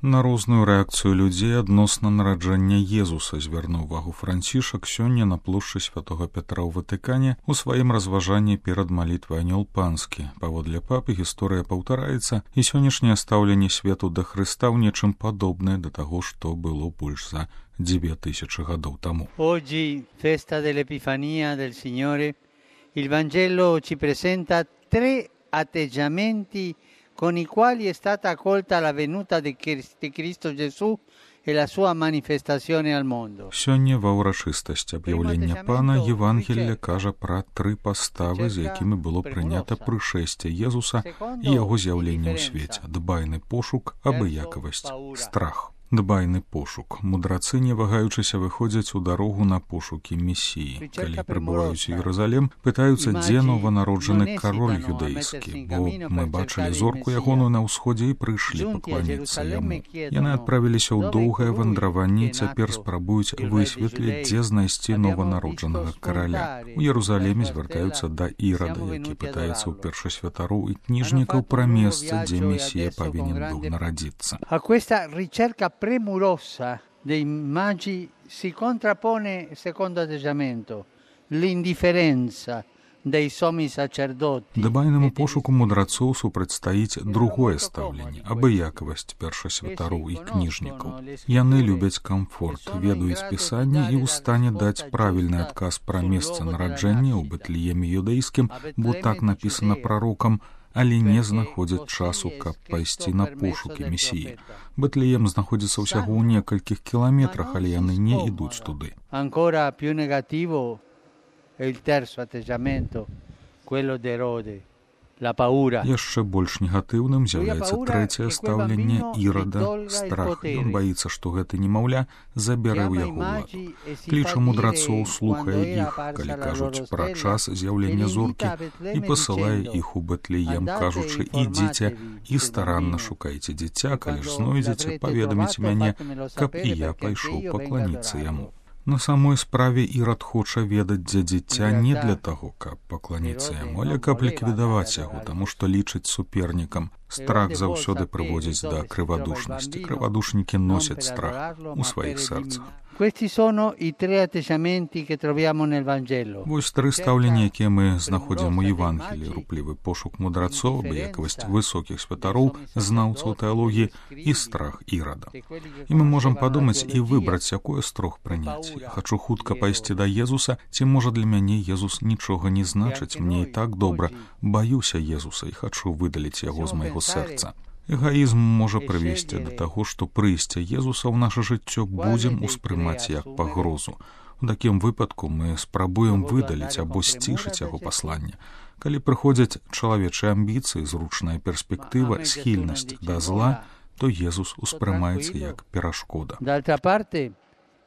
На розную рэакцыю людзей адносна нараджэння Езуса звярнуў увагу Францішак сёння на плошчы святога Пятра ў Ватыкане у сваім разважанні перад малітвай Анёл Панскі. Паводле папы гісторыя паўтараецца, і сённяшняе стаўленне свету да Хрыста ў нечым падобнае да таго, што было больш за 2000 гадоў таму. Oggi, festa dell'Epifania del Signore, il Vangelo ci presenta tre atteggiamenti con i quali è stata accolta la venuta di Cristo Gesù e la sua manifestazione al mondo. Сёння ва ўрачыстасць аб'яўлення Пана Євангелля кажа пра тры паставы, з якімі было прынята прышэсце Езуса і яго з'яўленне ў свеце: дбайны пошук, абыякавасць, страх. Дбайны пошук. Мудрацы, не вагаючыся, выходзяць у дарогу на пошукі месіі. Калі прыбываюць у Єрусалем, пытаюцца, дзе нованароджаны кароль юдэйскі, бо мы бачылі зорку ягоную на ўсходзе і прыйшлі пакланіцца яму. Яны адправіліся ў доўгае вандраванне і цяпер спрабуюць высветліць, дзе знайсці нованароджанага караля. У Єрусалеме звяртаюцца да Ірада, які пытаецца ў першасвятароў і кніжнікаў пра месца, дзе месія павінен быў нарадзіцца. Premurosa dei magi si contrappone il secondo atteggiamento, l'indifferenza dei sommi sacerdoti. Дбайнаму пошуку мудрацоў супрацьстаіць другое стаўленне — абыякавасць першасвятароў і кніжнікаў. Яны любяць камфорт, ведаюць пісанне і ў стане даць правільны адказ пра месца нараджэння ў Бэтлееме юдэйскім, бо так напісана прарокам, але не знаходзяць часу, каб пайсці на пошукі месіі. Бэтлеем знаходзіцца ўсяго ў некалькіх кіламетрах, але яны не ідуць туды. Ancora più negativo è il terzo atteggiamento, quello di Erode, la paura. Яшчэ больш негатыўным з'яўляецца трэцяе стаўленне Ірада — страх. Ён баіцца, што гэты немаўля забярэ ў яго ўладу. Кліча мудрацоў, слухае іх, калі кажуць пра час з'яўлення зоркі, і пасылае іх у Бэтлеем, кажучы: ідзіце і старанна шукайце дзіця, калі ж знойдзеце, паведаміце мяне, каб і я пайшоў пакланіцца яму. На самой справе Ірад хоча ведаць, дзе дзіця, не для таго, каб пакланіцца яму, але каб ліквідаваць яго, таму што лічыць супернікам. Страх заўсёды прыводзіць да крывадушнасці. Крывадушнікі носяць страх у сваіх сэрцах. Questi sono i tre atteggiamenti che troviamo nel Vangelo. Вось тры стаўлення, якія мы знаходзім у Евангеліі: руплівы пошук мудрацоў, абыякавасць высокіх святароў, знаўцаў тэалогіі і страх Ірада. І мы можам падумаць і выбраць, якое з трох прыняць. Я хачу хутка пайсці да Езуса, ці можа для мяне Езус нічога не значыць, мне і так добра, баюся Езуса і хачу выдаліць яго з майго сэрца. Эгаізм можа прывесці да таго, што прыйсце Езуса ў наша жыццё будзем успрымаць як пагрозу. У такім выпадку мы спрабуем выдаліць або сцішыць яго пасланне. Калі прыходзяць чалавечыя амбіцыі, зручная перспектыва, схільнасць да зла, то Езус успрымаецца як перашкода. D'altra parte,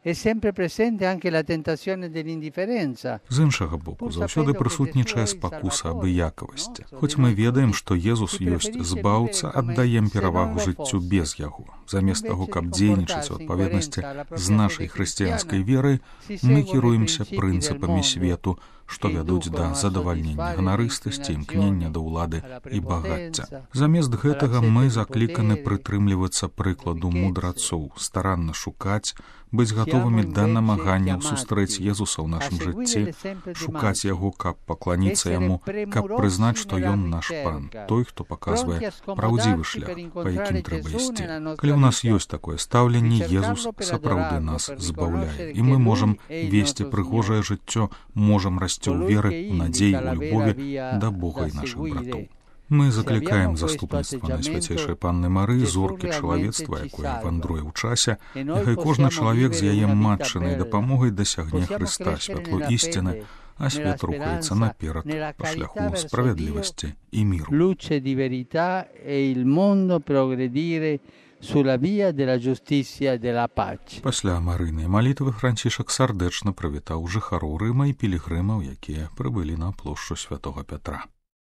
è sempre presente anche la tentazione dell'indifferenza. З іншага боку, заўсёды прысутнічае спакуса абыякавасці. Хоць мы ведаем, што Езус ёсць збаўца, аддаем перавагу жыццю без яго. Замест таго, каб дзейнічаць у адпаведнасці з нашай хрысціянскай верай, мы кіруемся прынцыпамі свету, што вядуць да задавальнення ганарыстасці, імкнення да ўлады і багацця. Замест гэтага мы закліканы прытрымлівацца прыкладу мудрацоў, старанна шукаць, быць гатовымі да намаганняў сустрэць Езуса ў нашым жыцці, шукаць яго, каб пакланіцца яму, каб прызнаць, што ён наш пан, той, хто паказвае праўдзівы шлях, па якім трэба ісці. Калі ў нас ёсць такое стаўленне, Езус сапраўды нас збаўляе, і мы можам весці прыгожае жыццё, можам расці ў веры, у надзеі, у любові да Бога і нашых братоў. Мы заклікаем заступніцтва Найсвяцейшай Панны Марыі, зоркі чалавецтва, якое вандруе ў часе. Няхай кожны чалавек з яе матчынай дапамогай дасягне Хрыста, святло ісціны, а свет рухаецца наперад па шляху справядлівасці і міру. Luce di verità e il mondo progredire sulla via della giustizia e della pace. Пасля марыйнай малітвы Францішак сардэчна прывітаў жыхароў Рыма і пілігрымаў, якія прыбылі на плошчу святога Пятра.